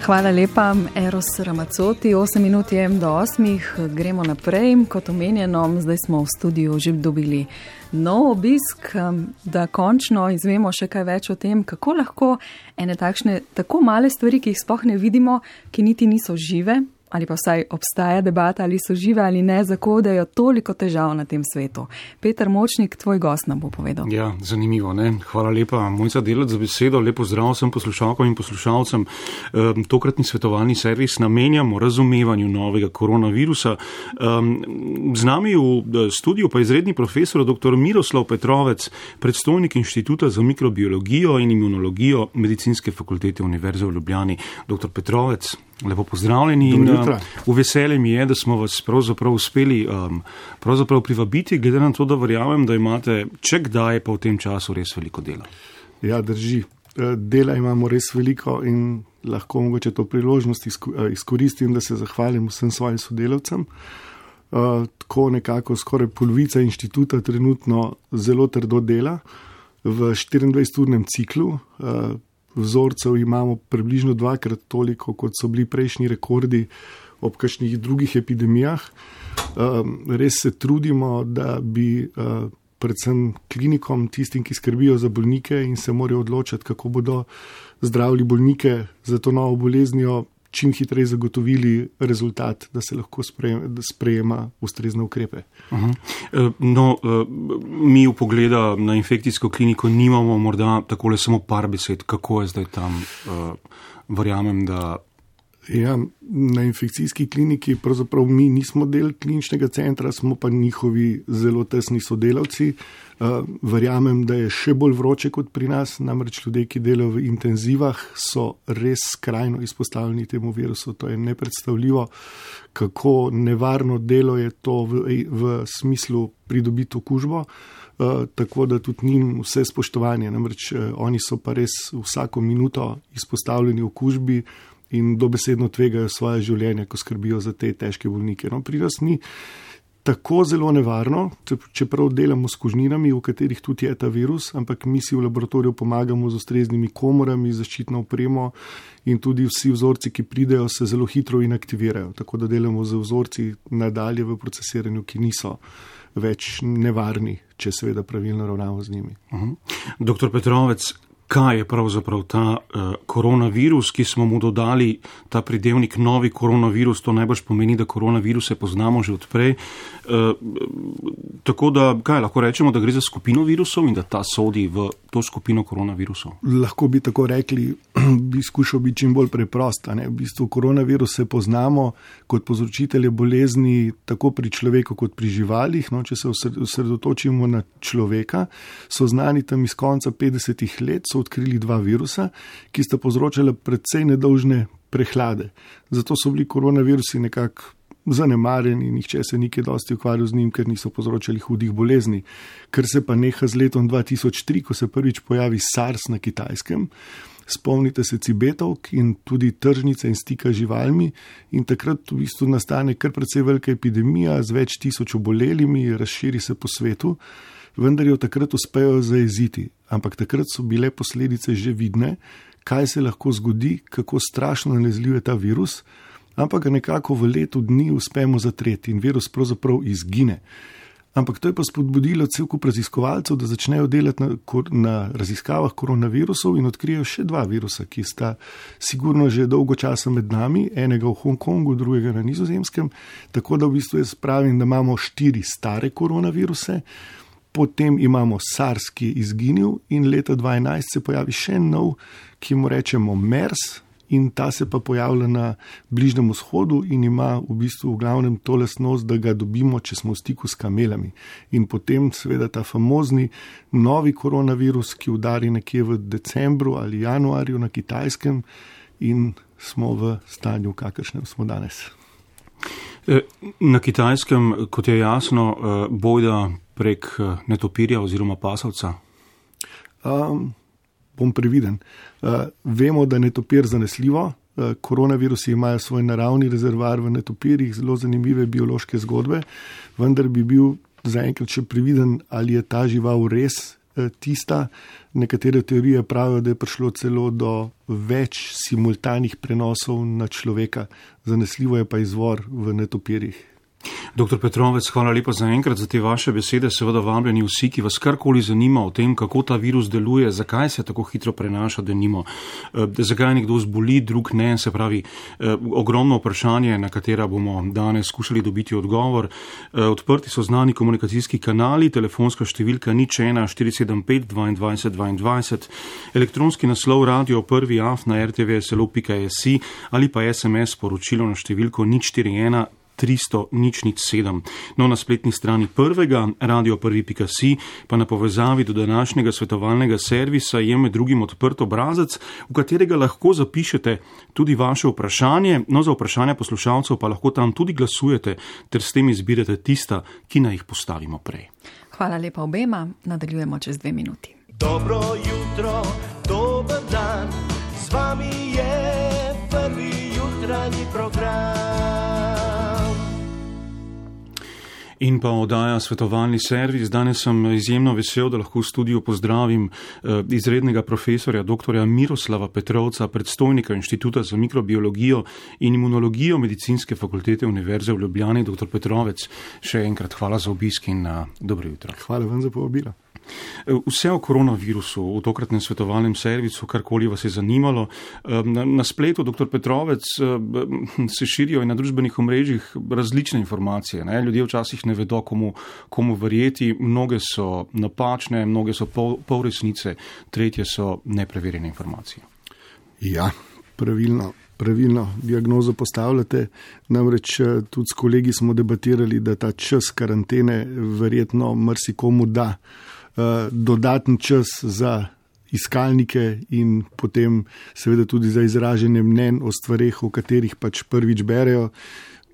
Hvala lepa, Eros Ramazzotti. 8 minut je do 8, gremo naprej. Kot omenjeno, zdaj smo v studiu že dobili nov obisk, da končno izvemo še kaj več o tem, kako lahko ene takšne tako male stvari, ki jih sploh ne vidimo, ki niti niso žive, ali pa vsaj obstaja debata, ali so žive ali ne, zakodajo toliko težav na tem svetu. Peter Močnik, tvoj gost nam bo povedal. Ja, zanimivo, ne? Hvala lepa, Mojca Delac, za besedo. Lepo zdrav vsem poslušalkam in poslušalcem. Tokratni svetovalni servis namenjamo razumevanju novega koronavirusa. Z nami v studiu pa izredni profesor dr. Miroslav Petrovec, predstojnik Inštituta za mikrobiologijo in imunologijo Medicinske fakultete Univerze v Ljubljani. Dr. Petrovec, lepo pozdravljeni in v veselje mi je, da smo vas pravzaprav uspeli privabiti, glede na to, da verjamem, da imate če kdaj pa v tem času res veliko dela. Ja, drži. Dela imamo res veliko in lahko mogoče to priložnost izkoristim, da se zahvalim vsem svojim sodelavcem. Tako nekako skoraj polovica inštituta trenutno zelo trdo dela v 24-urnem ciklu. Vzorcev imamo približno 2-krat toliko, kot so bili prejšnji rekordi ob kakšnih drugih epidemijah. Res se trudimo, da bi predvsem klinikom, tistim, ki skrbijo za bolnike in se morajo odločati, kako bodo zdravili bolnike za to novo boleznijo, čim hitreje zagotovili rezultat, da se lahko sprejema ustrezne ukrepe. No, mi v pogleda na infekcijsko kliniko nimamo morda takole samo par besed, kako je zdaj tam, verjamem, da... Ja, na infekcijski kliniki pravzaprav mi nismo del kliničnega centra, smo pa njihovi zelo tesni sodelavci. Verjamem, da je še bolj vroče kot pri nas, namreč ljudje, ki delajo v intenzivah, so res skrajno izpostavljeni temu virusu. To je nepredstavljivo, kako nevarno delo je to v smislu pridobiti okužbo. Tako da tudi njim vse spoštovanje, namreč oni so pa res vsako minuto izpostavljeni okužbi in dobesedno tvegajo svoje življenje, ko skrbijo za te težke bolnike. No, pri nas ni tako zelo nevarno, čeprav delamo s kužninami, v katerih tudi je ta virus, ampak mi si v laboratoriju pomagamo z ustreznimi komorami, zaščitno opremo in tudi vsi vzorci, ki pridejo, se zelo hitro inaktivirajo. Tako da delamo z vzorci nadalje v procesiranju, ki niso več nevarni, če seveda pravilno ravnamo z njimi. Dr. Petrovec, kaj je pravzaprav ta koronavirus, ki smo mu dodali ta pridevnik novi koronavirus, to najbrž pomeni, da koronaviruse poznamo že odprej. Tako da, kaj lahko rečemo, da gre za skupino virusov in da ta sodi v to skupino koronavirusov? Lahko bi tako rekli, bi skušal biti čim bolj preprost. V bistvu koronaviruse poznamo kot povzročitelje bolezni tako pri človeku kot pri živalih. No, če se osredotočimo na človeka, so znani tam iz konca 50-ih let, so odkrili 2 virusa, ki sta povzročala precej nedolžne prehlade. Zato so bili koronavirusi nekako zanemarjeni, nihče se ni kaj dosti ukvarjal z njim, ker niso povzročali hudih bolezni. Ker se pa neha z letom 2003, ko se prvič pojavi SARS na Kitajskem, spomnite se cibetovk in tudi tržnice in stika z živalmi in takrat v bistvu nastane kar precej velika epidemija z več tisoč obolelimi, razširi se po svetu, vendar jo takrat uspejo zajeziti. Ampak takrat so bile posledice že vidne, kaj se lahko zgodi, kako strašno nalezljiv je ta virus, ampak ga nekako v letu dni uspemo zatreti in virus pravzaprav izgine. Ampak to je pa spodbudilo cel kup raziskovalcev, da začnejo delati na raziskavah koronavirusov in odkrijejo še 2 virusa, ki sta sigurno že dolgo časa med nami, enega v Hongkongu, drugega na Nizozemskem, tako da v bistvu jaz pravim, da imamo 4 stare koronaviruse, potem imamo SARS, ki je izginil in leta 2011 se pojavi še nov, ki mu rečemo MERS in ta se pa pojavlja na Bližnjem vzhodu in ima v bistvu v glavnem to lastnost, da ga dobimo, če smo v stiku s kamelami. In potem seveda ta famozni novi koronavirus, ki udari nekje v decembru ali januarju na Kitajskem in smo v stanju, kakršnem smo danes. Na Kitajskem, kot je jasno, bojda prek netopirja oziroma pasovca? Bom previden. Vemo, da je netopir zanesljivo. Koronavirusi imajo svoj naravni rezervoar v netopirjih, zelo zanimive biološke zgodbe, vendar bi bil zaenkrat še previden, ali je ta žival res tista. Nekatere teorije pravijo, da je prišlo celo do več simultanih prenosov na človeka. Zanesljivo je pa izvor v netopirjih. Dr. Petrovec, hvala lepa za enkrat za te vaše besede. Seveda vabljeni vsi, ki vas karkoli zanima o tem, kako ta virus deluje, zakaj se tako hitro prenaša, denimo, zakaj nekdo zboli, drug ne, se pravi, ogromno vprašanje, na katera bomo danes skušali dobiti odgovor. Odprti so znani komunikacijski kanali, telefonska številka 01 475 22 22, elektronski naslov radio1af@rtvslo.si ali pa SMS sporočilo na številko 041 300 007. No, na spletni strani prvega, radio1.si, pa na povezavi do današnjega svetovalnega servisa je med drugim odprt obrazec, v katerega lahko zapišete tudi vaše vprašanje, no za vprašanja poslušalcev pa lahko tam tudi glasujete, ter s tem izbirate tista, ki naj jih postavimo prej. Hvala lepa obema, nadaljujemo čez 2 minuti. Dobro jutro, dober dan, z vami je prvi jutranji program. In pa oddaja svetovalni servis. Danes sem izjemno vesel, da lahko v studiu pozdravim izrednega profesorja dr. Miroslava Petrovca, predstojnika Inštituta za mikrobiologijo in imunologijo Medicinske fakultete Univerze v Ljubljani. Dr. Petrovec, še enkrat hvala za obisk in dobro jutro. Hvala vam za povabilo. Vse o koronavirusu v tokratnem svetovalnem servisu, karkoli vas je zanimalo. Na spletu, dr. Petrovec, se širijo in na družbenih omrežjih različne informacije. Ne? Ljudje včasih ne vedo, komu verjeti. Mnoge so napačne, mnoge so pol resnice, tretje so nepreverjene informacije. Ja, pravilno diagnozo postavljate. Namreč tudi s kolegi smo debatirali, da ta čas karantene verjetno marsikomu da dodaten čas za iskalnike in potem seveda tudi za izražanje mnenj o stvareh, o katerih pač prvič berejo.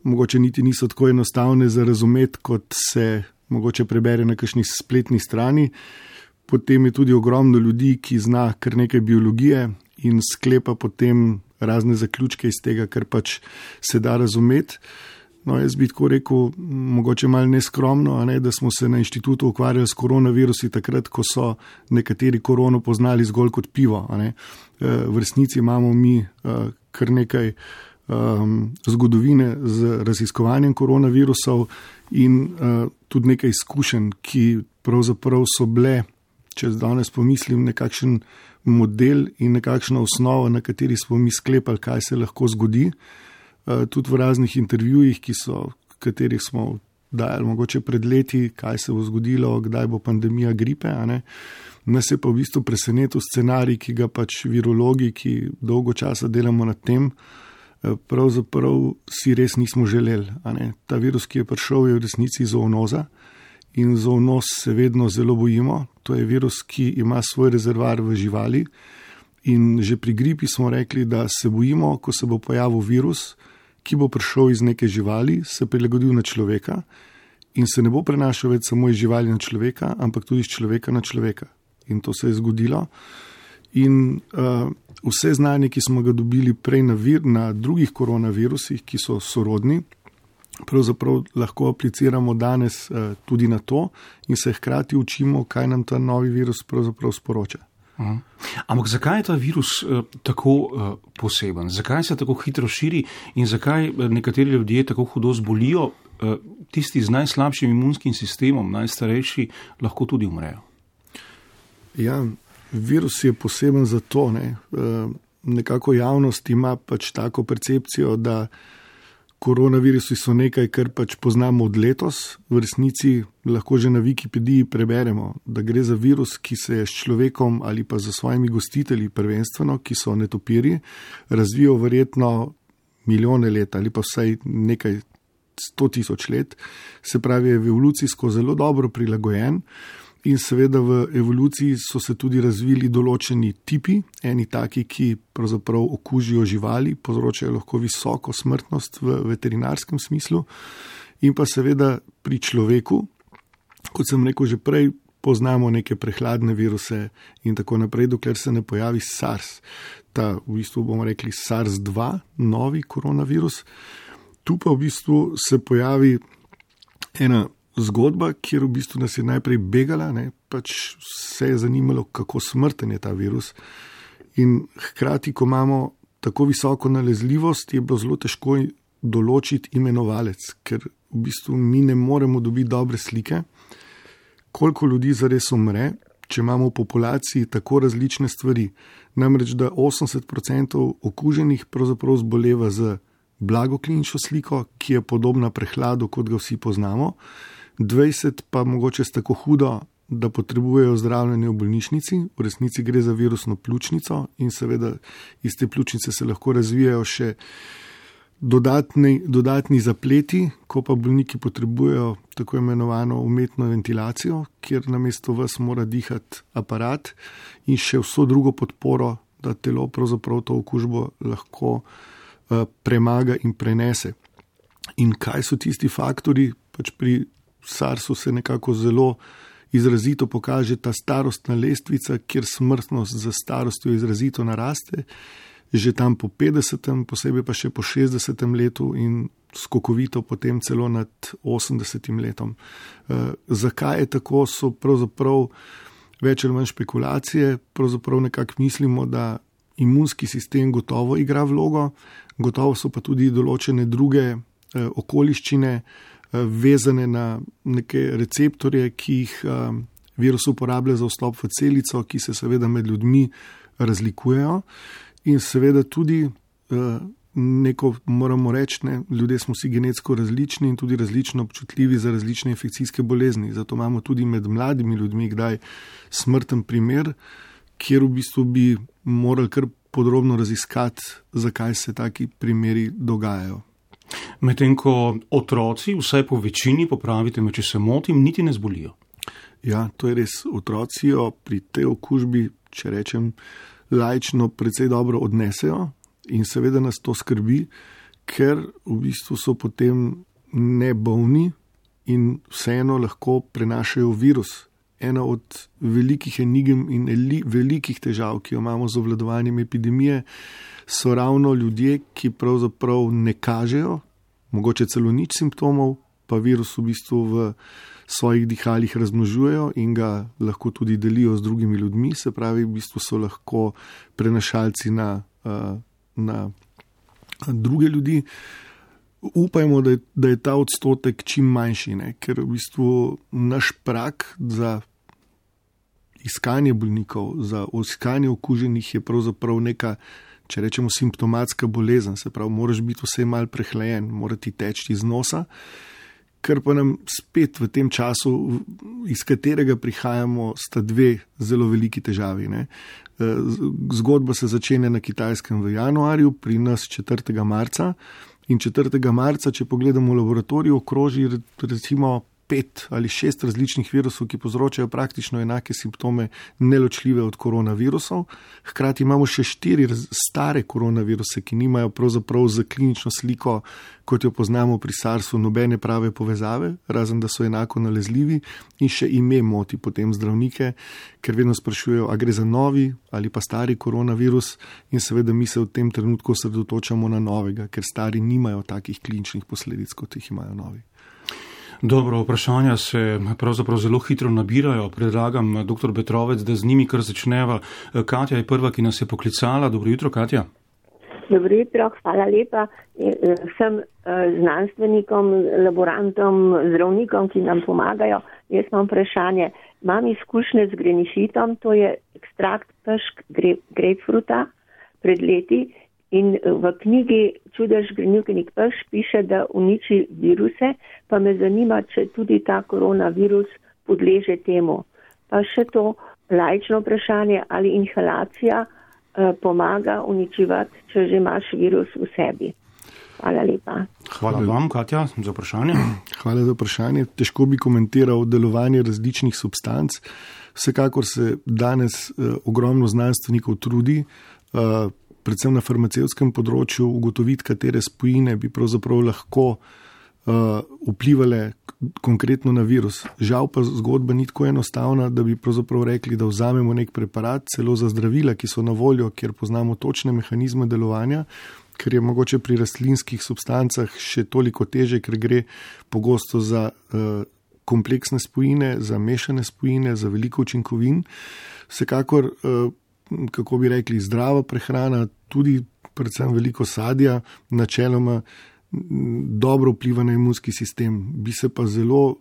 Mogoče niti niso tako enostavne za razumeti, kot se mogoče prebere na kakšni spletni strani. Potem je tudi ogromno ljudi, ki zna kar nekaj biologije in sklepa potem razne zaključke iz tega, kar pač se da razumeti. No, jaz bi tako rekel, mogoče malo neskromno, da smo se na inštitutu ukvarjali s koronavirusi takrat, ko so nekateri korono poznali zgolj kot pivo. V resnici imamo mi kar nekaj zgodovine z raziskovanjem koronavirusov in tudi nekaj izkušenj, ki pravzaprav so bile, če danes pomislim, nekakšen model in nekakšna osnova, na kateri smo mi sklepali, kaj se lahko zgodi. Tudi v raznih intervjujih, katerih smo dajali mogoče pred leti, kaj se bo zgodilo, kdaj bo pandemija gripe. Nas je pa v bistvu presenetil scenarij, ki ga pač virologi, ki dolgo časa delamo nad tem, pravzaprav si res nismo želeli. Ta virus, ki je prišel, je v resnici zoonoza in zoonoz se vedno zelo bojimo. To je virus, ki ima svoj rezervoar v živali in že pri gripi smo rekli, da se bojimo, ko se bo pojavil virus, ki bo prišel iz neke živali, se prilagodil na človeka in se ne bo prenašal več samo iz živali na človeka, ampak tudi iz človeka na človeka. In to se je zgodilo. In vse znanje, ki smo ga dobili prej na drugih koronavirusih, ki so sorodni, pravzaprav lahko apliciramo danes tudi na to in se hkrati učimo, kaj nam ta novi virus pravzaprav sporoča. Ampak zakaj je ta virus tako poseben? Zakaj se tako hitro širi in zakaj nekateri ljudje tako hudo zbolijo, tisti z najslabšim imunskim sistemom, najstarejši, lahko tudi umrejo? Ja, virus je poseben zato, nekako javnost ima pač tako percepcijo, da koronavirusi so nekaj, kar pač poznamo od letos. V resnici lahko že na Wikipediji preberemo, da gre za virus, ki se je s človekom ali pa za svojimi gostitelji prvenstveno, ki so netopirji, razvijal verjetno milijone let ali pa vsaj nekaj 100 000 let. Se pravi, je evolucijsko zelo dobro prilagojen. In seveda v evoluciji so se tudi razvili določeni tipi, eni taki, ki pravzaprav okužijo živali, povzročajo lahko visoko smrtnost v veterinarskem smislu. In pa seveda pri človeku, kot sem rekel že prej, poznamo neke prehladne viruse in tako naprej, dokler se ne pojavi SARS. Ta v bistvu bomo rekli SARS-2, novi koronavirus. Tu pa v bistvu se pojavi ena zgodba, kjer v bistvu nas je najprej begala, pač vse je zanimalo, kako smrten je ta virus. In hkrati, ko imamo tako visoko nalezljivost, je bilo zelo težko določiti imenovalec, ker v bistvu mi ne moremo dobiti dobre slike, koliko ljudi zares umre, če imamo v populaciji tako različne stvari. Namreč, da 80% okuženih pravzaprav zboleva z blago klinično sliko, ki je podobna prehladu, kot ga vsi poznamo, 20 pa mogoče s tako hudo, da potrebujejo zdravljenje v bolnišnici, v resnici gre za virusno pljučnico in seveda iz te pljučnice se lahko razvijajo še dodatni zapleti, ko pa bolniki potrebujejo tako imenovano umetno ventilacijo, kjer namesto vas mora dihati aparat in še vso drugo podporo, da telo pravzaprav to okužbo lahko premaga in prenese. In kaj so tisti faktori? Pač pri SARS-u se nekako zelo izrazito pokaže ta starostna lestvica, kjer smrtnost za starostjo izrazito naraste, že tam po 50, posebej pa še po 60 letu in skokovito potem celo nad 80 letom. Zakaj je tako, so pravzaprav več ali manj špekulacije, pravzaprav nekako mislimo, da imunski sistem gotovo igra vlogo, gotovo so pa tudi določene druge okoliščine vezane na neke receptorje, ki jih virus uporablja za vstop v celico, ki se seveda med ljudmi razlikujejo. In seveda tudi neko moramo reči, ljudje smo si genetsko različni in tudi različno občutljivi za različne infekcijske bolezni. Zato imamo tudi med mladimi ljudmi kdaj smrten primer, kjer v bistvu bi morali kar podrobno raziskati, zakaj se taki primeri dogajajo. Medtem ko otroci, vsaj po večini, popravite me, če se motim, niti ne zbolijo. Ja, to je res. Otroci jo pri tej okužbi, če rečem, laično precej dobro odnesejo in seveda nas to skrbi, ker v bistvu so potem nebolni in vseeno lahko prenašajo virus. Ena od velikih enigem in velikih težav, ki jo imamo z obvladovanjem epidemije, so ravno ljudje, ki pravzaprav ne kažejo, mogoče celo nič simptomov, pa virus v bistvu v svojih dihalih razmnožujejo in ga lahko tudi delijo z drugimi ljudmi, se pravi, v bistvu so lahko prenašalci na druge ljudi. Upajmo, da je ta odstotek čim manjši, ker v bistvu naš prag za iskanje bolnikov, za iskanje okuženih je pravzaprav neka, če rečemo, simptomatska bolezen, se pravi, moraš biti vse mal prehlajen, mora ti teči iz nosa, ker pa nam spet v tem času, iz katerega prihajamo, sta dve zelo veliki težavi. Zgodba se začenja na Kitajskem v januarju, pri nas 4. marca in 4. marca, če pogledamo v laboratoriju, okroži recimo 5 ali 6 različnih virusov, ki povzročajo praktično enake simptome, neločljive od koronavirusov. Hkrati imamo še 4 stare koronaviruse, ki nimajo pravzaprav za klinično sliko, kot jo poznamo pri SARS-u, nobene prave povezave, razen da so enako nalezljivi, in še ime moti potem zdravnike, ker vedno sprašujejo, a gre za novi ali pa stari koronavirus, in seveda mi se v tem trenutku osredotočamo na novega, ker stari nimajo takih kliničnih posledic, kot jih imajo novi. Dobro, vprašanja se pravzaprav zelo hitro nabirajo. Predlagam, dr. Betrovec, da z njimi kar začneva. Katja je prva, ki nas je poklicala. Dobro jutro, Katja. Dobro jutro, hvala lepa. Vsem znanstvenikom, laborantom, zdravnikom, ki nam pomagajo. Jaz imam vprašanje. Imam izkušnje z grenišitom, to je ekstrakt pešk grapefruta pred leti. In v knjigi Čudež grenivkenik peš piše, da uniči viruse, pa me zanima, če tudi ta koronavirus podleže temu. Pa še to laično vprašanje, ali inhalacija pomaga uničevati, če že imaš virus v sebi. Hvala lepa. Hvala vam, Katja, za vprašanje. Hvala za vprašanje. Težko bi komentiral delovanje različnih substanc. Vsekakor se danes ogromno znanstvenikov trudi, predvsem na farmacevtskem področju, ugotoviti, katere spojine bi pravzaprav lahko vplivale konkretno na virus. Žal pa zgodba ni tako enostavna, da bi pravzaprav rekli, da vzamemo nek preparat, celo za zdravila, ki so na voljo, kjer poznamo točne mehanizme delovanja, ker je mogoče pri rastlinskih substancah še toliko teže, ker gre pogosto za kompleksne spojine, za mešane spojine, za veliko učinkovin. Vsekakor, kako bi rekli, zdrava prehrana, tudi predvsem veliko sadja, načeloma dobro vpliva na imunski sistem. Bi se pa zelo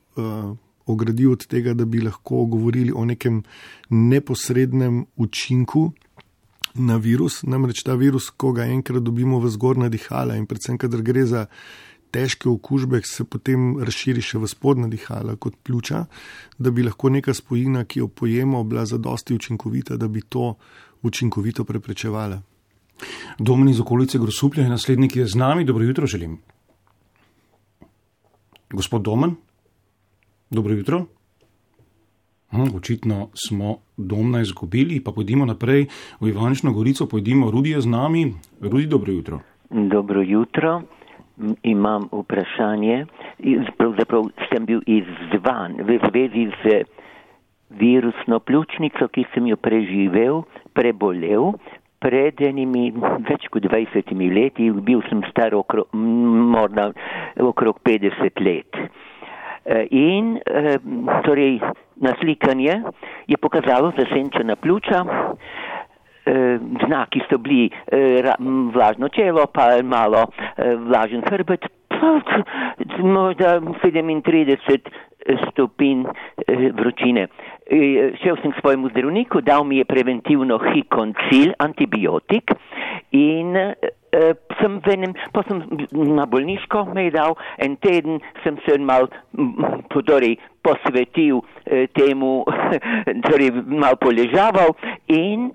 ogradil od tega, da bi lahko govorili o nekem neposrednem učinku na virus. Namreč ta virus, ko ga enkrat dobimo v zgornja dihala in predvsem, kadar gre za težke okužbe, se potem razširi še v spodnja dihala kot pljuča, da bi lahko neka spojina, ki jo pojemo, bila zadosti učinkovita, da bi to učinkovito preprečevala. Domen iz okolice Grosuplja je naslednji, ki je z nami. Dobro jutro želim. Gospod Domen, dobro jutro. Očitno smo Domna izgubili, pa pojdimo naprej v Ivančno Gorico, pojdimo, Rudi je z nami. Rudi, dobro jutro. Dobro jutro. Imam vprašanje. Pravzaprav sem bil izzvan v zvezi z virusno pljučnico, ki sem jo prebolel. Pred enimi več kot 20 leti, bil sem star morda okrog 50 let. In torej naslikanje je pokazalo zasenčena pljuča, znaki so bili vlažno čelo, pa malo vlažen hrbet, možda 37 stopinj vročine. Šel sem k svojemu zdravniku, dal mi je preventivno hikoncil, antibiotik in pa sem na bolniško me je dal, en teden sem se mal posvetil temu, torej mal poležaval in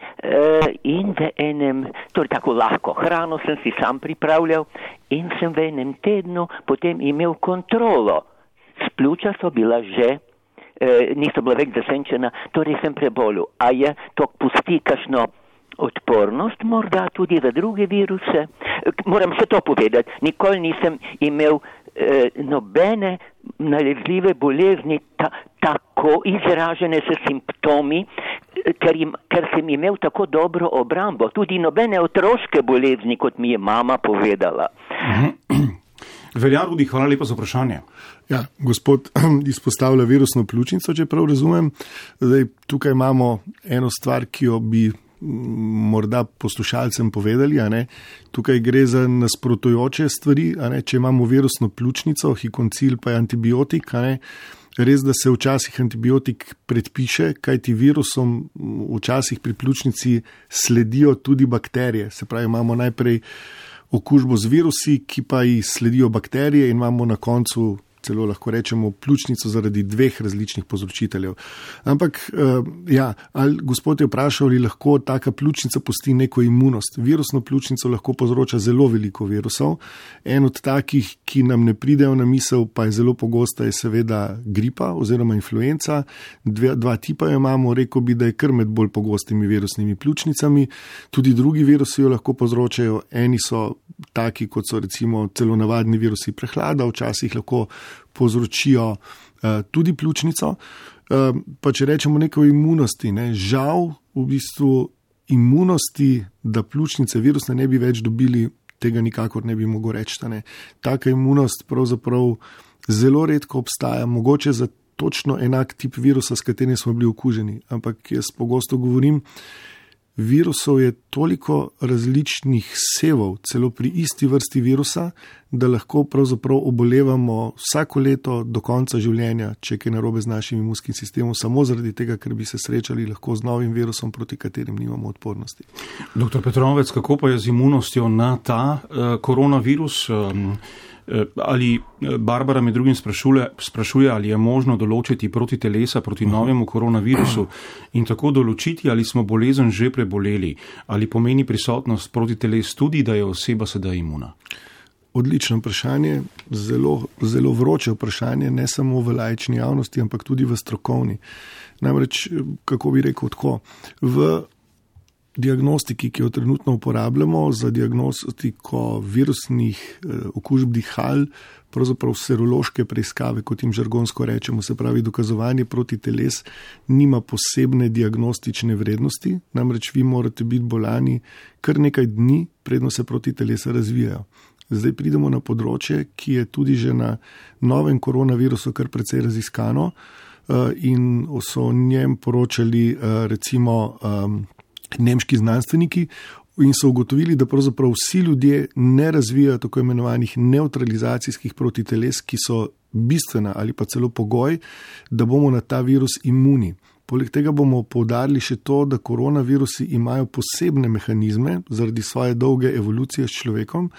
v enem, torej tako lahko hrano sem si sam pripravljal in sem v enem tednu potem imel kontrolo. Pljuča so bila že, niso bila več zasenčena, torej sem prebolel. A je to pusti kakšno odpornost, morda tudi za druge viruse? Moram se to povedati, nikoli nisem imel nobene nalezljive bolezni tako izražene s simptomi, ker sem imel tako dobro obrambo, tudi nobene otroške bolezni, kot mi je mama povedala. Velja, Rudi, hvala lepa za vprašanje. Ja, gospod izpostavlja virusno pljučnico, če prav razumem. Zdaj, tukaj imamo eno stvar, ki jo bi morda poslušalcem povedali. Tukaj gre za nasprotujoče stvari. Če imamo virusno pljučnico, hikoncil pa je antibiotik. Res, da se včasih antibiotik predpiše, kajti virusom včasih pri pljučnici sledijo tudi bakterije. Se pravi, imamo najprej okužbo z virusi, ki pa ji sledijo bakterije in imamo na koncu celo lahko rečemo pljučnico zaradi dveh različnih povzročiteljev. Ampak, gospod je vprašal, ali lahko taka pljučnica pusti neko imunost. Virusno pljučnico lahko povzroča zelo veliko virusov. En od takih, ki nam ne pridejo na misel, pa je zelo pogosta, je seveda gripa oziroma influenca. Dva tipa jo imamo, rekel bi, da je kar med bolj pogostimi virusnimi pljučnicami. Tudi drugi virusi jo lahko povzročajo. Eni so taki, kot so recimo celo navadni virusi prehlada, včasih lahko povzročijo tudi pljučnico. Pa če rečemo nekaj o imunosti, žal v bistvu imunosti, da pljučnice virusne ne bi več dobili, tega nikakor ne bi mogel reči. Taka imunost pravzaprav zelo redko obstaja, mogoče za točno enak tip virusa, s katerim smo bili okuženi. Ampak jaz pogosto govorim, virusov je toliko različnih sevov, celo pri isti vrsti virusa, da lahko pravzaprav obolevamo vsako leto do konca življenja, če je narobe z našim imunskim sistemom, samo zaradi tega, ker bi se srečali lahko z novim virusom, proti katerim nimamo odpornosti. Dr. Petrovec, kako pa je z imunostjo na ta koronavirus? Ali Barbara med drugim sprašuje, ali je možno določiti protitelesa proti novemu koronavirusu in tako določiti, ali smo bolezen že preboleli, ali pomeni prisotnost protiteles tudi, da je oseba sedaj imuna? Odlično vprašanje, zelo, zelo vroče vprašanje, ne samo v laični javnosti, ampak tudi v strokovni. Namreč, kako bi rekel tako, v diagnostiki, ki jo trenutno uporabljamo za diagnostiko virusnih okužb dihal, pravzaprav serološke preiskave, kot jim žargonsko rečemo, se pravi dokazovanje protiteles, nima posebne diagnostične vrednosti, namreč vi morate biti bolani kar nekaj dni, predno se protitelesa razvijajo. zdaj pridemo na področje, ki je tudi že na novem koronavirusu kar precej raziskano in so o njem poročali recimo nemški znanstveniki in so ugotovili, da pravzaprav vsi ljudje ne razvijajo tako imenovanih nevtralizacijskih protiteles, ki so bistvena ali pa celo pogoj, da bomo na ta virus imuni. Poleg tega bomo poudarili še to, da koronavirusi imajo posebne mehanizme zaradi svoje dolge evolucije s človekom,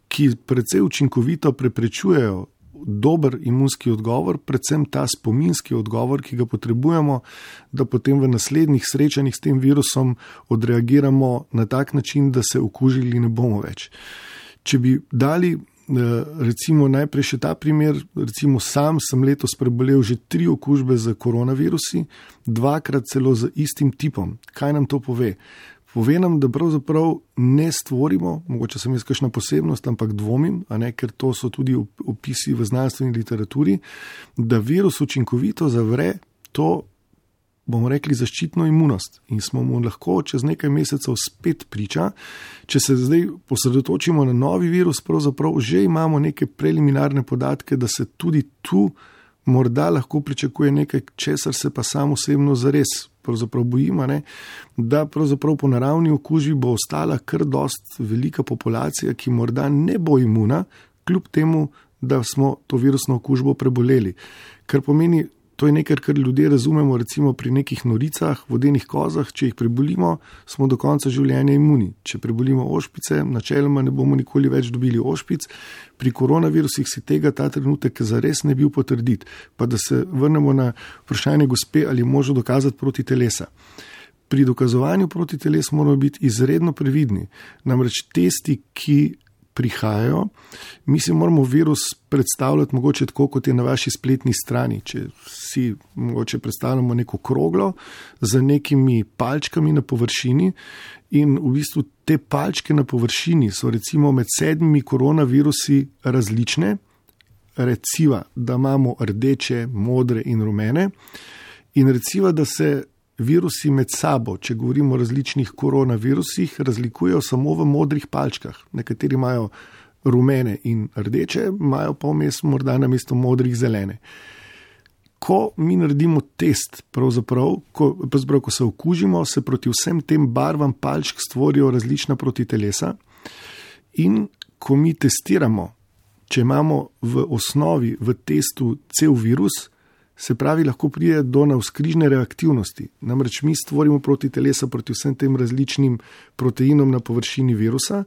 ki precej učinkovito preprečujejo dober imunski odgovor, predvsem ta spominski odgovor, ki ga potrebujemo, da potem v naslednjih srečanjih s tem virusom odreagiramo na tak način, da se okužili ne bomo več. Če bi dali recimo najprej še ta primer, recimo sam sem letos prebolel že 3 okužbe z koronavirusi, 2-krat celo z istim tipom. Kaj nam to pove? Pove nam, da pravzaprav ne stvorimo, mogoče sem jaz kakšna posebnost, ampak dvomim, ker to so tudi opisi v znanstveni literaturi, da virus učinkovito zavre to, bomo rekli, zaščitno imunost in smo mu lahko čez nekaj mesecev spet priča. Če se zdaj posredotočimo na novi virus, pravzaprav že imamo neke preliminarne podatke, da se tudi tu morda lahko pričakuje nekaj, česar se pa sam osebno zares pravzaprav bojimo, da pravzaprav po naravni okužbi bo ostala kar dost velika populacija, ki morda ne bo imuna, kljub temu, da smo to virusno okužbo preboleli. Kar pomeni, to je nekaj, kar ljudje razumemo recimo pri nekih noricah, vodenih kozah, če jih prebolimo, smo do konca življenja imuni. Če prebolimo ošpice, načeloma ne bomo nikoli več dobili ošpic. Pri koronavirusih si tega ta trenutek zares ne bil potrditi. Pa da se vrnemo na vprašanje gospe, ali je možno dokazati protitelesa. Pri dokazovanju protiteles moramo biti izredno previdni. Namreč testi, ki prihajajo, mi si moramo virus predstavljati mogoče tako, kot je na vaši spletni strani. Če si mogoče predstavljamo neko kroglo z nekimi palčkami na površini in v bistvu te palčke na površini so recimo med 7 koronavirusi različne, reciva, da imamo rdeče, modre in rumene in reciva, da se virusi med sabo, če govorimo o različnih koronavirusih, razlikujejo samo v modrih palčkah. Nekateri imajo rumene in rdeče, imajo pa vmes morda namesto modrih zelene. Ko mi naredimo test, pravzaprav, ko se okužimo, se proti vsem tem barvam palčk stvorijo različna protitelesa in ko mi testiramo, če imamo v osnovi v testu cel virus, se pravi, lahko pride do navzkrižne reaktivnosti. Namreč mi stvorimo protitelesa proti vsem tem različnim proteinom na površini virusa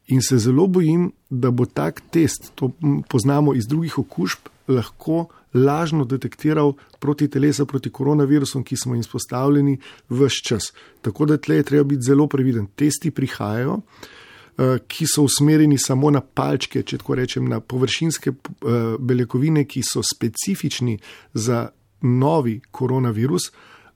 in se zelo bojim, da bo tak test, to poznamo iz drugih okužb, lahko lažno detektiral protitelesa proti koronavirusom, ki smo jim izpostavljeni ves čas. Tako da tle je treba biti zelo previden. Testi prihajajo, ki so usmerjeni samo na palčke, če tako rečem, na površinske beljakovine, ki so specifični za novi koronavirus,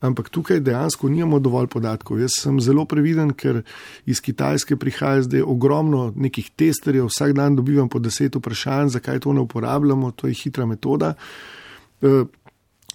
ampak tukaj dejansko nimamo dovolj podatkov. Jaz sem zelo previden, ker iz Kitajske prihaja zdaj ogromno nekih testerjev, vsak dan dobivam po 10 vprašanj, zakaj to ne uporabljamo, to je hitra metoda.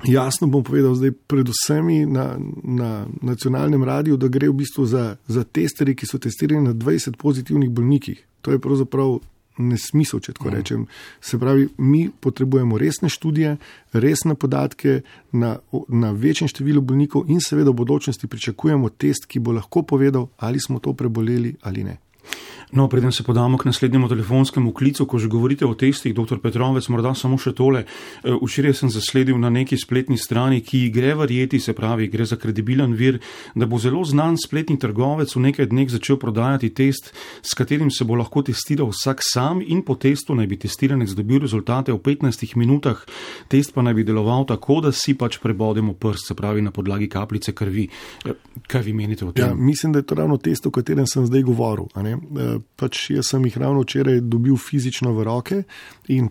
Jasno bom povedal zdaj predvsem na nacionalnem radiju, da gre v bistvu za testerje, ki so testirani na 20 pozitivnih bolnikih. To je pravzaprav nesmisel, če tako rečem. Se pravi, mi potrebujemo resne študije, resne podatke na večjem številu bolnikov in seveda v bodočnosti pričakujemo test, ki bo lahko povedal, ali smo to preboleli ali ne. No, preden se podamo k naslednjemu telefonskemu klicu, ko že govorite o testih, dr. Petrovec, morda samo še tole. Včeraj sem zasledil na neki spletni strani, ki gre verjeti, se pravi, gre za kredibilen vir, da bo zelo znan spletni trgovec v nekaj dneh začel prodajati test, s katerim se bo lahko testiral vsak sam in po testu naj bi testiranec dobil rezultate v 15 minutah. Test pa naj bi deloval tako, da si pač prebodemo prst, se pravi na podlagi kapljice krvi. Kaj vi menite o tem? Ja, mislim, da je to ravno test, o katerem sem zdaj govoril. Pač jaz sem jih ravno včeraj dobil fizično v roke in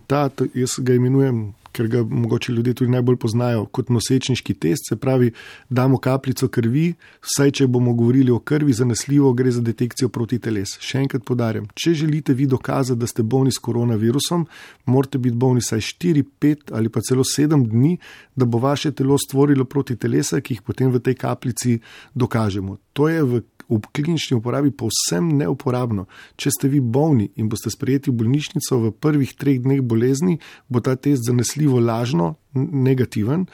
jaz ga imenujem, ker ga mogoče ljudje tudi najbolj poznajo kot nosečniški test, se pravi, damo kapljico krvi, vsaj če bomo govorili o krvi, zanesljivo gre za detekcijo protiteles. Še enkrat poudarjam, če želite vi dokazati, da ste bolni s koronavirusom, morate biti bolni saj 4, 5 ali pa celo 7 dni, da bo vaše telo stvorilo protitelesa, ki jih potem v tej kapljici dokažemo. To je v v klinični uporabi povsem neuporabno. Če ste vi bolni in boste sprejeti v bolnišnico v prvih 3 dneh bolezni, bo ta test zanesljivo lažno negativen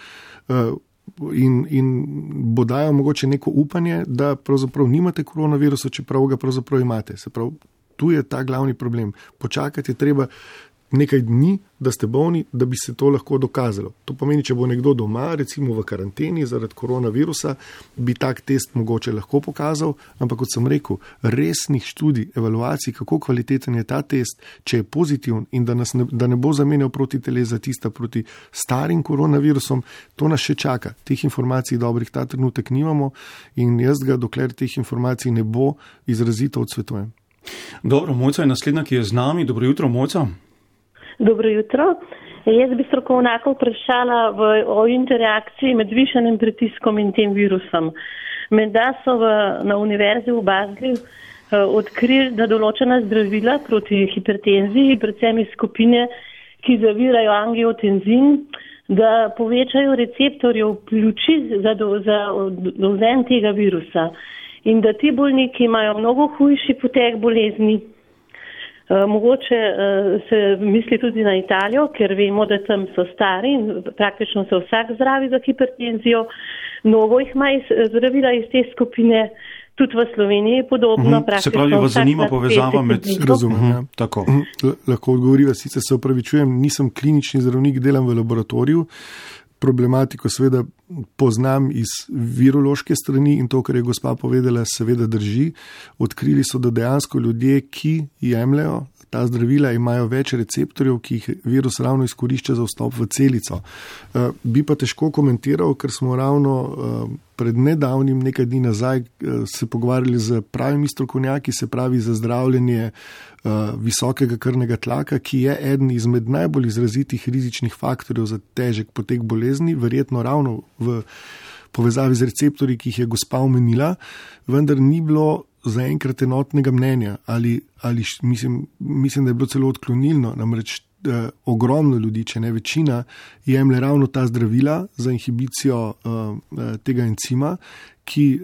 in bo dajal mogoče neko upanje, da pravzaprav nimate koronavirusa, čeprav ga pravzaprav imate. Se pravi, tu je ta glavni problem. Počakati je treba nekaj dni, da ste bolni, da bi se to lahko dokazalo. To pomeni, če bo nekdo doma, recimo v karanteni zaradi koronavirusa, bi tak test mogoče lahko pokazal, ampak kot sem rekel, resnih študij, evaluacij, kako kvaliteten je ta test, če je pozitiven in da ne bo zamenjal protiteles za tista proti starim koronavirusom, to nas še čaka. Teh informacij dobrih ta trenutek nimamo in jaz ga, dokler teh informacij ne bo, izrazito odsvetujem. Dobro, Mojca je naslednja, ki je z nami. Dobro jutro, Mojca. Dobro jutro. Jaz bi strokovnjaka vprašala o interakciji med višanim pritiskom in tem virusom. Menda so na univerzi v Baslu odkrili, da določena zdravila proti hipertenziji, predvsem iz skupine, ki zavirajo angiotenzin, da povečajo receptorje v pljuči za dovzen tega virusa. In da ti bolniki imajo mnogo hujši potek bolezni. Mogoče se misli tudi na Italijo, ker vemo, da tam so stari in praktično se vsak zdravi za hipertenzijo. Mnogo jih ima zdravila iz te skupine, tudi v Sloveniji podobno. Se pravi, vas zanima povezava med... Razumem, tako. Lahko odgovoriva, sicer se opravičujem, nisem klinični zdravnik, delam v laboratoriju. Problematiko seveda poznam iz virološke strani in to, kar je gospa povedala, seveda drži. Odkrili so, da dejansko ljudje, ki jemljajo ta zdravila, imajo več receptorjev, ki jih virus ravno izkorišča za vstop v celico. Bi pa težko komentiral, ker smo ravno pred nedavnim, nekaj dni nazaj, se pogovarjali z pravimi strokovnjaki, se pravi za zdravljenje visokega krvnega tlaka, ki je eden izmed najbolj izrazitih rizičnih faktorjev za težek potek bolezni, verjetno ravno v povezavi z receptorji, ki jih je gospa omenila, vendar ni bilo zaenkrat enotnega mnenja ali mislim, da je bilo celo odklonilno, namreč ogromno ljudi, če ne večina, jemlje ravno ta zdravila za inhibicijo tega encima, ki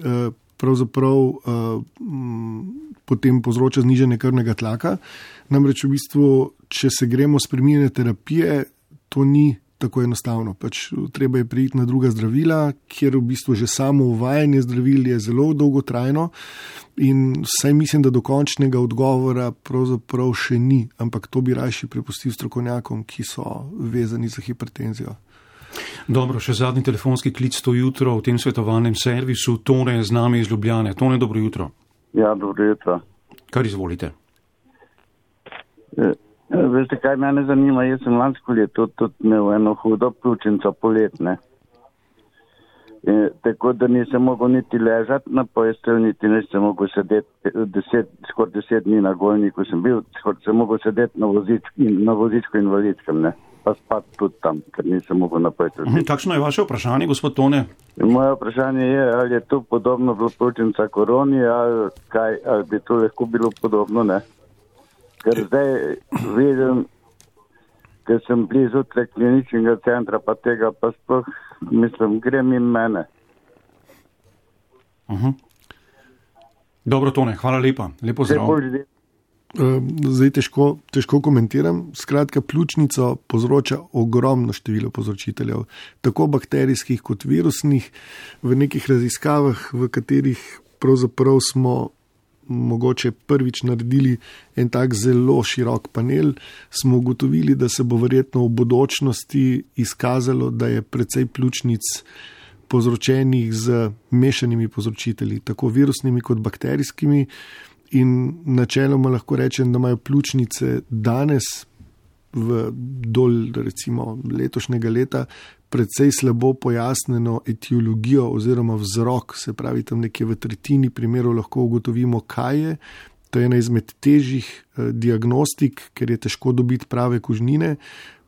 pravzaprav potem povzroča znižanje krvnega tlaka. Namreč v bistvu, če se gremo spreminjanje terapije, to ni tako enostavno. Pač treba je priti na druga zdravila, kjer v bistvu že samo uvajanje zdravil je zelo dolgotrajno in vsaj mislim, da dokončnega odgovora pravzaprav še ni, ampak to bi rajši prepustil strokovnjakom, ki so vezani za hipertenzijo. Dobro, še zadnji telefonski klic to jutro v tem svetovalnem servisu. Tone je z nami iz Ljubljane. Tone, dobro jutro. Ja, dobro jutro. Kar izvolite? Veste, kaj mene zanima? Jaz sem lansko leto tudi imel eno hudo pljučnico poletne. Tako da nisem mogel niti ležati na postelji, niti nisem mogel sedeti skoraj 10 dni na golniku sem bil, skoraj sem mogel sedeti na vozičku invalidskem, ne. Pa spati tudi tam, ker nisem mogel na postelji. Kakšno je vaše vprašanje, gospod Tone? Moje vprašanje je, ali je to podobno bilo pljučnica koroni, ali bi to lahko bilo podobno, ne. Ker zdaj vidim, ker sem blizu kliničnega centra, pa tega pa sploh, mislim, grem in mene. Dobro, Tone, hvala lepa. Lepo zdrav. Zdaj težko komentiram. Skratka, pljučnico povzroča ogromno število povzročiteljev, tako bakterijskih kot virusnih. V nekih raziskavah, v katerih pravzaprav smo mogoče prvič naredili en tak zelo širok panel, smo ugotovili, da se bo verjetno v bodočnosti izkazalo, da je precej pljučnic povzročenih z mešanimi povzročitelji, tako virusnimi kot bakterijskimi, in načeloma lahko rečem, da imajo pljučnice danes do recimo letošnjega leta precej slabo pojasneno etiologijo oziroma vzrok, se pravi tam nekje v tretjini primerov lahko ugotovimo, kaj je. To je ena izmed težjih diagnostik, ker je težko dobiti prave kužnine.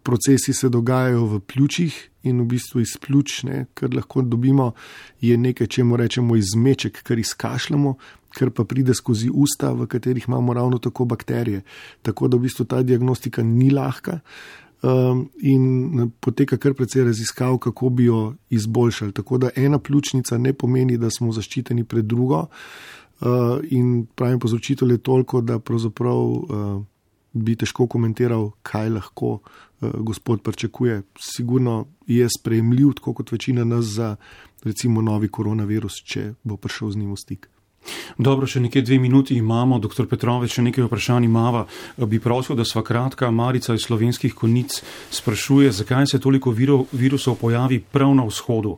Procesi se dogajajo v pljučih in v bistvu iz pljuč, kar lahko dobimo, je nekaj, čemu rečemo izmeček, kar izkašljamo, kar pa pride skozi usta, v katerih imamo ravno tako bakterije. Tako da v bistvu ta diagnostika ni lahka in poteka kar precej raziskav, kako bi jo izboljšali. Tako da ena pljučnica ne pomeni, da smo zaščiteni pred drugo. in pravim povzročitelj je toliko, da pravzaprav bi težko komentiral, kaj lahko gospod pričakuje. Sigurno je sprejemljiv, tako kot večina nas, za recimo novi koronavirus, če bo prišel z njim v stik. Dobro, še nekaj 2 minuti imamo. Doktor Petrovec, še nekaj vprašanj imava. Bi prosil, da sva kratka. Marica iz Slovenskih Konjic sprašuje, zakaj se toliko virusov pojavi prav na vzhodu,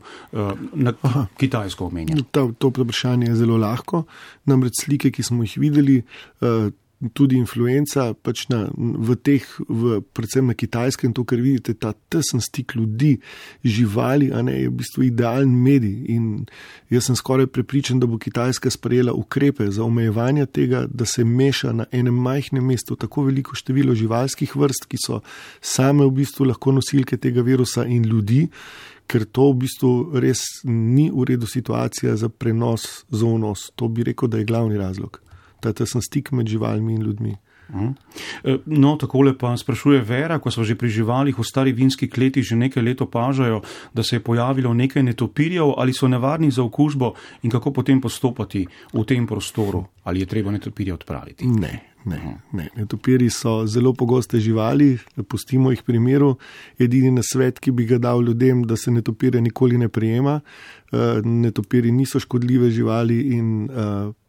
na Kitajsko omenja. To vprašanje je zelo lahko. Namreč slike, ki smo jih videli, tudi influenca, pač predvsem na Kitajskem, to, kar vidite, ta tesen stik ljudi, živali, je v bistvu idealen medij. In jaz sem skoraj prepričan, da bo Kitajska sprejela ukrepe za omejevanje tega, da se meša na enem majhnem mestu tako veliko število živalskih vrst, ki so same v bistvu lahko nosilke tega virusa, in ljudi, ker to v bistvu res ni v redu situacija za prenos zoonoz. To bi rekel, da je glavni razlog. Ta tesen stik med živalmi in ljudmi. No, takole pa sprašuje Vera, ko so že pri živalih v stari vinski kleti že nekaj let opažajo, da se je pojavilo nekaj netopirjev, ali so nevarni za okužbo in kako potem postopati v tem prostoru, ali je treba netopirje odpraviti? Ne. Netopirji so zelo pogoste živali, pustimo jih pri miru. Edini nasvet, ki bi ga dal ljudem, da se netopirja nikoli ne prijema. Netopirji niso škodljive živali in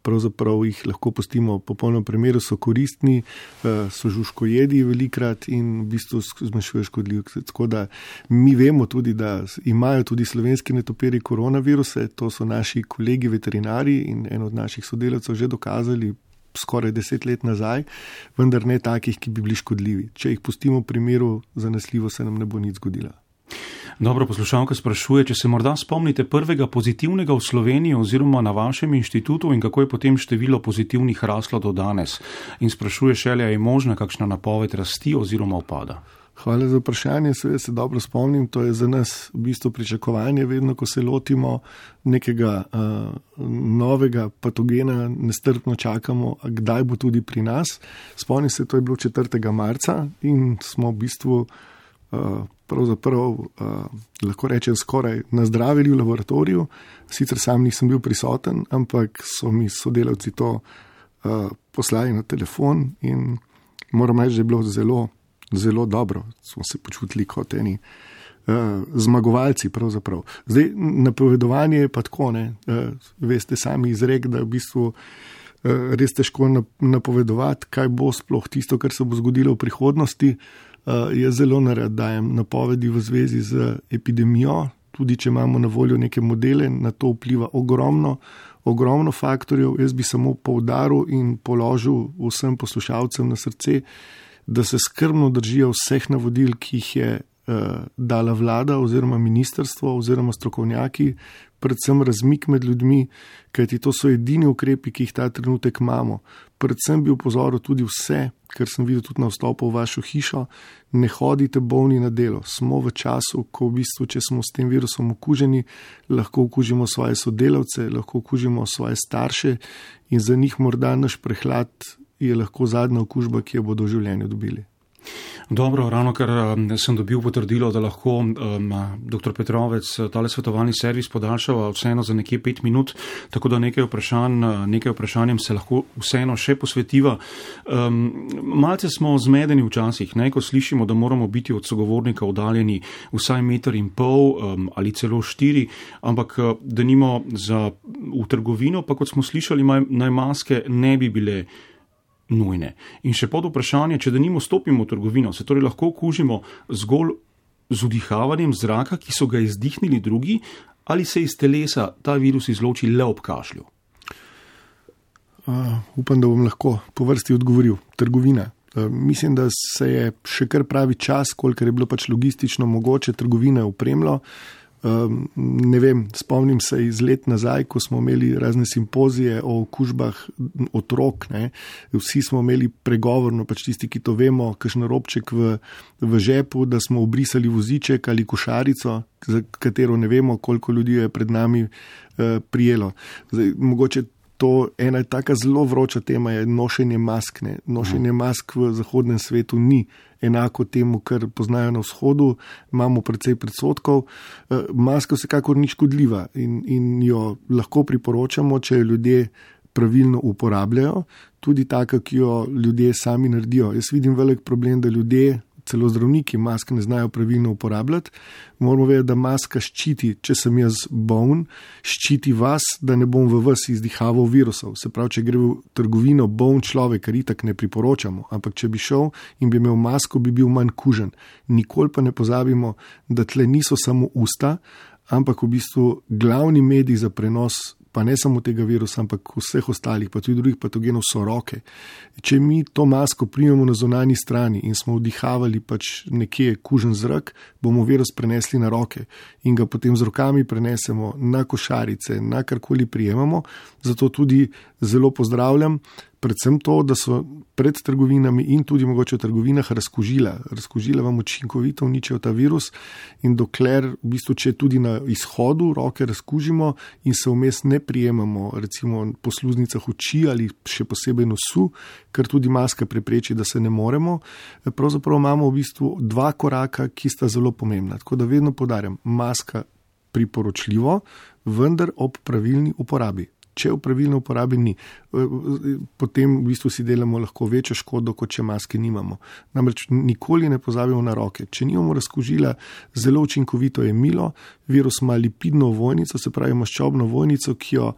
pravzaprav jih lahko pustimo popolnoma pri miru, so koristni, so žužkojedi velikrat in v bistvu zmanjšujejo škodljivke. Tako da mi vemo tudi, da imajo tudi slovenski netopirji koronaviruse, to so naši kolegi veterinari in en od naših sodelavcev že dokazali skoraj 10 let nazaj, vendar ne takih, ki bi bili škodljivi. Če jih pustimo pri miru, zanesljivo se nam ne bo nič zgodila. Dobro, poslušalka sprašuje, če se morda spomnite prvega pozitivnega v Sloveniji oziroma na vašem inštitutu in kako je potem število pozitivnih raslo do danes. In sprašuje šele, je možna kakšna napoved rasti oziroma upada? Hvala za vprašanje, seveda se dobro spomnim, to je za nas v bistvu pričakovanje, vedno ko se lotimo nekega novega patogena, nestrpno čakamo, kdaj bo tudi pri nas. Spomnim se, to je bilo 4. marca in smo v bistvu pravzaprav, lahko rečem, skoraj nazdravili v laboratoriju. Sicer sam nisem bil prisoten, ampak so mi sodelavci to poslali na telefon in moram reči, da je bilo zelo dobro. Smo se počutili kot eni zmagovalci pravzaprav. Zdaj, napovedovanje je pa tako, veste sami izrek, da v bistvu res težko napovedovati, kaj bo sploh tisto, kar se bo zgodilo v prihodnosti. Jaz zelo nerad dajem napovedi v zvezi z epidemijo, tudi če imamo na voljo neke modele, na to vpliva ogromno faktorjev. Jaz bi samo poudaril in položil vsem poslušalcem na srce, da se skrbno držijo vseh navodil, ki jih je dala vlada oziroma ministrstvo oziroma strokovnjaki, predvsem razmik med ljudmi, kajti to so edini ukrepi, ki jih ta trenutek imamo. Predvsem bi upozoril tudi vse, kar sem videl tudi na vstopu v vašo hišo, ne hodite bolni na delo. Smo v času, ko v bistvu, če smo s tem virusom okuženi, lahko okužimo svoje sodelavce, lahko okužimo svoje starše in za njih morda naš prehlad je lahko zadnja okužba, ki jo bodo v življenju dobili. Dobro, ravno ker sem dobil potrdilo, da lahko dr. Petrovec tale svetovalni servis podaljšava vseeno za nekje 5 minut, tako da nekaj vprašanjem se lahko vseeno še posvetiva. Malce smo zmedeni včasih, ko slišimo, da moramo biti od sogovornika oddaljeni vsaj 1,5 metra ali celo 4, ampak denimo v trgovino, pa kot smo slišali, naj maske ne bi bile nujne. In še pod vprašanje, če denimo stopimo v trgovino, se torej lahko okužimo zgolj z vdihavanjem zraka, ki so ga izdihnili drugi, ali se iz telesa ta virus izloči le ob kašlju? Upam, da bom lahko po vrsti odgovoril. Trgovina. Mislim, da se je še kar pravi čas, kolikor je bilo pač logistično mogoče, trgovine opremilo. Ne vem, spomnim se iz let nazaj, ko smo imeli razne simpozije o okužbah otrok, Vsi smo imeli pregovorno, pač tisti, ki to vemo, kakšen robček v žepu, da smo obrisali voziček ali košarico, za katero ne vemo, koliko ljudi je pred nami prijelo. Zdaj, mogoče to ena taka zelo vroča tema je nošenje mask. Nošenje mask v zahodnem svetu ni enako temu, kar poznajo na vzhodu, imamo precej predsodkov. Maska vsekakor ni škodljiva in jo lahko priporočamo, če jo ljudje pravilno uporabljajo, tudi taka, ki jo ljudje sami naredijo. Jaz vidim velik problem, da ljudje, celo zdravniki, maske ne znajo pravilno uporabljati. Moramo vedeti, da maska ščiti, če sem jaz boln, ščiti vas, da ne bom v vas izdihaval virusov. Se pravi, če gre v trgovino boln človek, kar itak ne priporočamo, ampak če bi šel in bi imel masko, bi bil manj kužen. Nikoli pa ne pozabimo, da tle niso samo usta, ampak v bistvu glavni medij za prenos, pa ne samo tega virusa, ampak vseh ostalih, pa tudi drugih patogenov so roke. Če mi to masko primemo na zunanji strani in smo vdihavali pač nekje kužen zrak, bomo virus prenesli na roke in ga potem z rokami prenesemo na košarice, na karkoli prijemamo. Zato tudi zelo pozdravljam predvsem to, da so pred trgovinami in tudi mogoče v trgovinah razkužila. Razkužila vam učinkovito uničijo ta virus in dokler, v bistvu, če tudi na izhodu roke razkužimo in se vmes ne prijemamo, recimo po sluznicah oči ali še posebej nosu, ker tudi maska prepreči, da se ne moremo, pravzaprav imamo v bistvu 2 koraka, ki sta zelo pomembna. Tako da vedno poudarjam, maska priporočljivo, vendar ob pravilni uporabi. Če v pravilni uporabi ni, potem v bistvu si delamo lahko večjo škodo, kot če maske nimamo. Namreč nikoli ne pozabimo na roke. Če nimamo razkužila, zelo učinkovito je milo, virus ima lipidno ovojnico, se pravi maščobno ovojnico, ki jo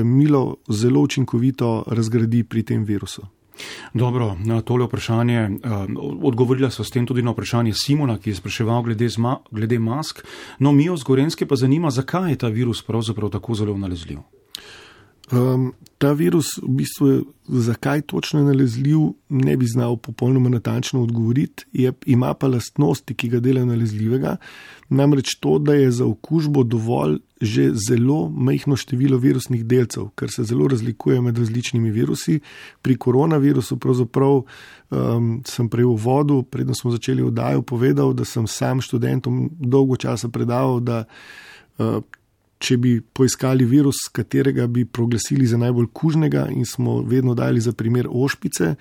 milo zelo učinkovito razgradi pri tem virusu. Dobro, na tole vprašanje, odgovorila so s tem tudi na vprašanje Simona, ki je spraševal glede mask. No, Mijo z Gorenjske pa zanima, zakaj je ta virus pravzaprav tako zelo nalezljiv? Ta virus, v bistvu, zakaj točno je nalezljiv, ne bi znal popolnoma natančno odgovoriti, ima pa lastnosti, ki ga delajo nalezljivega, namreč to, da je za okužbo dovolj že zelo majhno število virusnih delcev, kar se zelo razlikuje med različnimi virusi. Pri koronavirusu pravzaprav sem prej v uvodu, predno smo začeli oddajo, povedal, da sem sam študentom dolgo časa predaval, da če bi poiskali virus, katerega bi proglasili za najbolj kužnega in smo vedno dali za primer ošpice,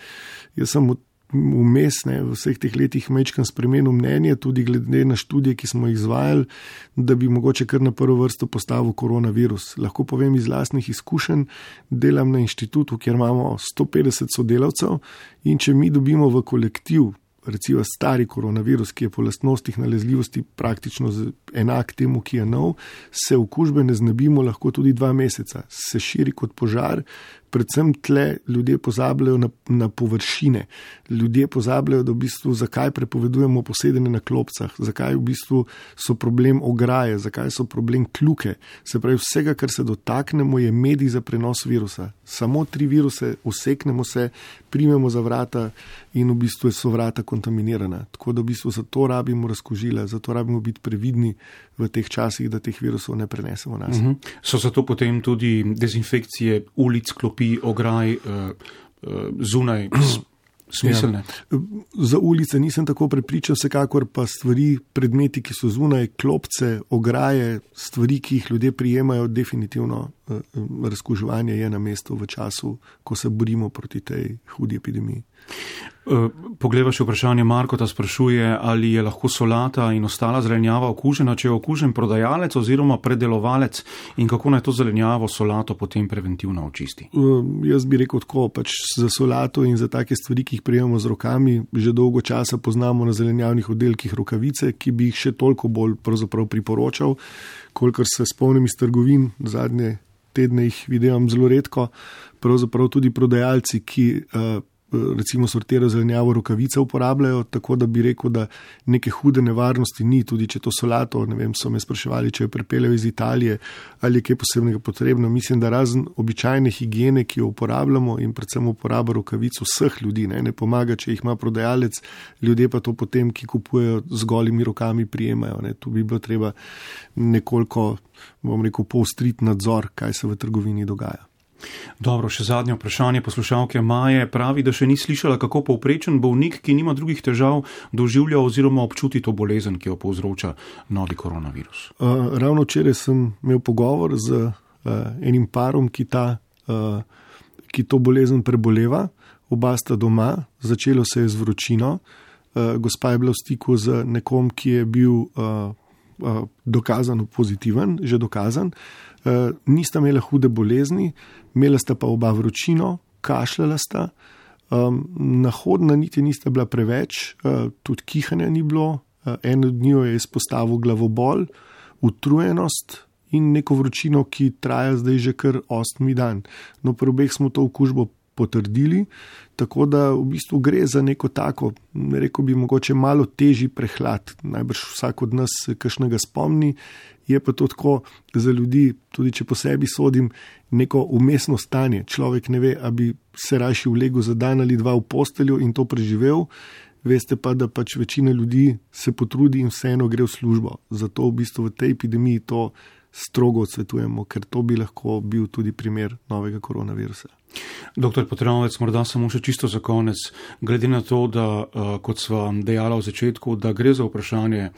jaz sem vmes v vseh teh letih majčkeno spremenil mnenje, tudi glede na študije, ki smo jih izvajali, da bi mogoče kar na prvo vrsto postavil koronavirus. Lahko povem iz lastnih izkušenj, delam na inštitutu, kjer imamo 150 sodelavcev in če mi dobimo v kolektiv, recimo stari koronavirus, ki je po lastnostih nalezljivosti praktično enak temu, ki je nov, se okužbe ne znebimo lahko tudi 2 meseca. Se širi kot požar, predvsem tle ljudje pozabljajo na površine. Ljudje pozabljajo, da v bistvu zakaj prepovedujemo posedanje na klopcah, zakaj v bistvu so problem ograje, zakaj so problem kljuke. Se pravi, vsega, kar se dotaknemo, je medij za prenos virusa. Samo 3 viruse useknemo se, primemo za vrata in v bistvu so vrata kontaminirana. Tako da v bistvu zato rabimo razkužila, zato rabimo biti previdni v teh časih, da teh virusov ne prenesemo nas. So zato potem tudi dezinfekcije ulic, klopi, ograj, zunaj smiselne? Ja. Za ulice nisem tako prepričan, vsekakor pa stvari, predmeti, ki so zunaj, klopce, ograje, stvari, ki jih ljudje prijemajo, definitivno razkuževanje je na mestu v času, ko se borimo proti tej hudi epidemiji. Pogleda še vprašanje, Marko ta sprašuje, ali je lahko solata in ostala zelenjava okužena, če je okužen prodajalec oziroma predelovalec in kako naj to zelenjavo, solato potem preventivno očisti? Jaz bi rekel tako, pač za solato in za take stvari, ki jih prijemamo z rokami, že dolgo časa poznamo na zelenjavnih oddelkih rokavice, ki bi jih še toliko bolj pravzaprav priporočal, kolikor se spomnim iz trgovin, zadnje tedne jih vidim zelo redko, pravzaprav tudi prodajalci, ki recimo sortirajo zelenjavo, rokavice uporabljajo, tako da bi rekel, da neke hude nevarnosti ni, tudi če to solato, ne vem, so me spraševali, če jo pripeljejo iz Italije ali je kaj posebnega potrebno. Mislim, da razen običajne higiene, ki jo uporabljamo in predvsem uporaba rokavic vseh ljudi, ne pomaga, če jih ima prodajalec, ljudje pa to potem, ki kupujejo z golimi rokami, prijemajo. Ne. Tu bi bilo treba nekoliko, bom rekel, poostriti nadzor, kaj se v trgovini dogaja. Dobro, še zadnje vprašanje poslušalke Maje pravi, da še ni slišala, kako povprečen bolnik, ki nima drugih težav, doživlja oziroma občuti to bolezen, ki jo povzroča novi koronavirus. Ravno včeraj sem imel pogovor z enim parom, ki to bolezen preboleva. Oba sta doma, začelo se je z vročino. Gospa je bila v stiku z nekom, ki je bil dokazano pozitiven, že dokazan, nista imela hude bolezni, imela sta pa oba vročino, kašljala sta, nahodna niti nista bila preveč, tudi kihanja ni bilo, en od njiju je izpostavil glavobol, utrujenost in neko vročino, ki traja zdaj že kar 8. dan. No, pri obeh smo to okužbo potrdili, tako da v bistvu gre za neko tako, rekel bi mogoče malo težji prehlad. Najbrž vsak od nas se kakšnega spomni, je pa to tako za ljudi, tudi če po sebi sodim, neko umestno stanje. Človek ne ve, a bi se rajši vlegel za dan ali dva v posteljo in to preživel. Veste pa, da pač večina ljudi se potrudi in vseeno gre v službo. Zato v bistvu v tej epidemiji to strogo odsvetujemo, ker to bi lahko bil tudi primer novega koronavirusa. Doktor Petronovec, morda samo še čisto za konec, glede na to, da, kot sva dejala v začetku, da gre za vprašanje,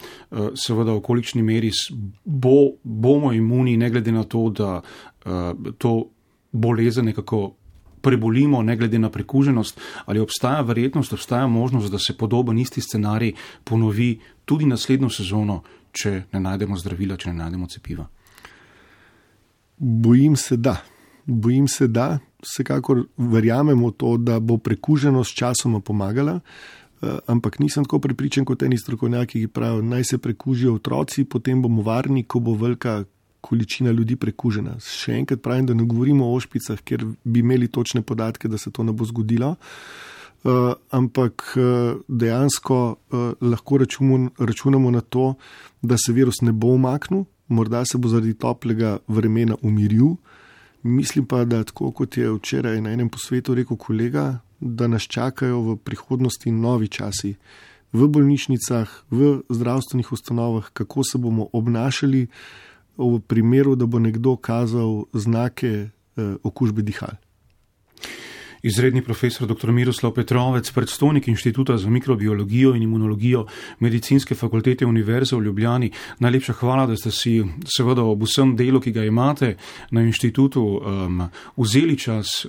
seveda v kolikšni meri bomo imuni, ne glede na to, da to bolezen nekako prebolimo, ne glede na prekuženost, ali obstaja verjetnost, obstaja možnost, da se podoben isti scenarij ponovi tudi naslednjo sezono, če ne najdemo zdravila, če ne najdemo cepiva? Bojim se, da. Vsekakor verjamemo to, da bo prekuženost časoma pomagala, ampak nisem tako prepričan kot eni strokovnjaki, ki pravijo, naj se prekužijo otroci, potem bomo varni, ko bo velika količina ljudi prekužena. Še enkrat pravim, da ne govorimo o ošpicah, ker bi imeli točne podatke, da se to ne bo zgodilo, ampak dejansko lahko računamo na to, da se virus ne bo umaknil, morda se bo zaradi toplega vremena umiril. Mislim pa, da tako kot je včeraj na enem posvetu rekel kolega, da nas čakajo v prihodnosti novi časi v bolnišnicah, v zdravstvenih ustanovah, kako se bomo obnašali v primeru, da bo nekdo kazal znake okužbe dihal. Izredni profesor dr. Miroslav Petrovec, predstojnik Inštituta za mikrobiologijo in imunologijo Medicinske fakultete Univerze v Ljubljani. Najlepša hvala, da ste si seveda ob vsem delu, ki ga imate na inštitutu, vzeli čas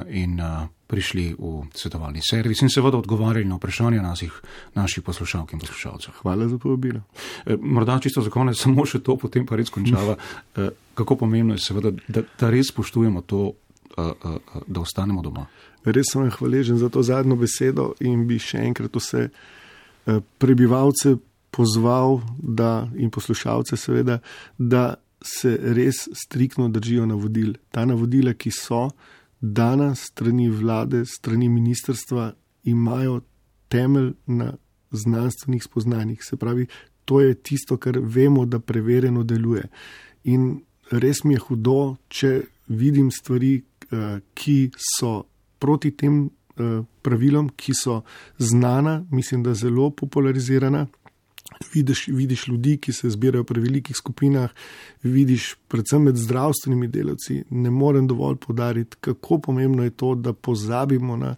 in prišli v svetovalni servis in seveda odgovarjali na vprašanja naših poslušalk in poslušalcev. Hvala za povabilo. Morda čisto za konec samo še to, potem pa res končava. Kako pomembno je seveda, da res spoštujemo to, da ostanemo doma. Res sem hvaležen za to zadnjo besedo in bi še enkrat vse prebivalce pozval in poslušalce seveda, da se res striktno držijo navodil. Ta navodila, ki so dana strani vlade, strani ministrstva, imajo temelj na znanstvenih spoznanjih. Se pravi, to je tisto, kar vemo, da preverjeno deluje. In res mi je hudo, če vidim stvari, ki so proti tem pravilom, ki so znana, mislim, da zelo popularizirana. Vidiš ljudi, ki se zbirajo pri velikih skupinah, vidiš predvsem med zdravstvenimi delavci. Ne morem dovolj poudariti, kako pomembno je to, da pozabimo na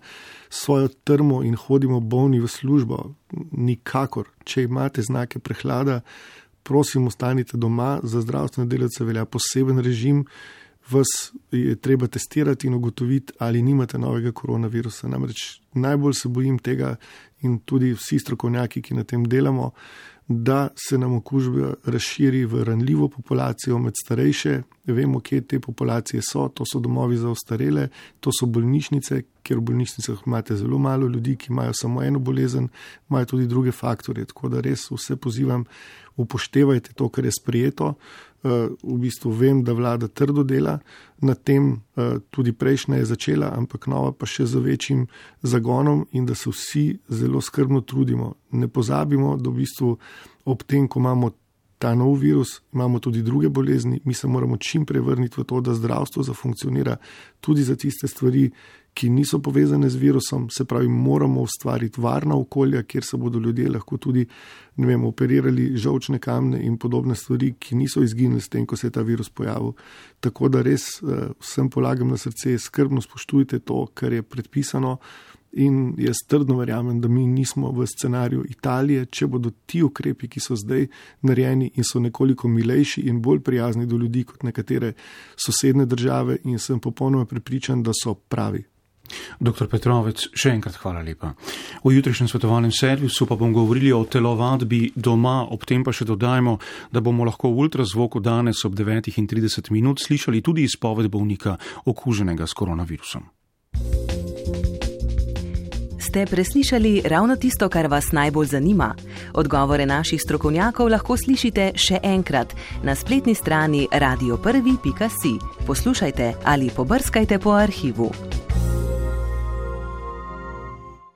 svojo trmo in hodimo bolni v službo. Nikakor. Če imate znake prehlada, prosim, ostanite doma. Za zdravstvene delavce velja poseben režim. Vas je treba testirati in ugotoviti, ali nimate novega koronavirusa. Namreč najbolj se bojim tega in tudi vsi strokovnjaki, ki na tem delamo, da se nam okužba razširi v ranljivo populacijo, med starejše. Vemo, kje te populacije so. To so domovi za ostarele, to so bolnišnice, kjer v bolnišnicah imate zelo malo ljudi, ki imajo samo eno bolezen, imajo tudi druge faktorje. Tako da res vse pozivam, upoštevajte to, kar je sprejeto. V bistvu vem, da vlada trdo dela na tem, tudi prejšnja je začela, ampak nova pa še z večjim zagonom in da se vsi zelo skrbno trudimo. Ne pozabimo, da v bistvu ob tem, ko imamo ta nov virus, imamo tudi druge bolezni, mi se moramo čim prej vrniti v to, da zdravstvo zafunkcionira tudi za tiste stvari, ki niso povezane z virusom, se pravi, moramo ustvariti varna okolja, kjer se bodo ljudje lahko tudi, operirali žolčne kamne in podobne stvari, ki niso izginili s tem, ko se je ta virus pojavil. Tako da res vsem polagam na srce, skrbno spoštujte to, kar je predpisano in jaz trdno verjamem, da mi nismo v scenariju Italije, če bodo ti ukrepi, ki so zdaj narejeni in so nekoliko milejši in bolj prijazni do ljudi kot nekatere sosedne države in sem popolnoma prepričan, da so pravi. Dr. Petrovec, še enkrat hvala lepa. V jutrišnjem svetovalnem servisu pa bomo govorili o telovadbi doma, ob tem pa še dodajmo, da bomo lahko v ultrazvoku danes ob 9:30 slišali tudi izpoved bolnika okuženega s koronavirusom. Ste preslišali ravno tisto, kar vas najbolj zanima? Odgovore naših strokovnjakov lahko slišite še enkrat na spletni strani radio1.si. Poslušajte ali pobrskajte po arhivu.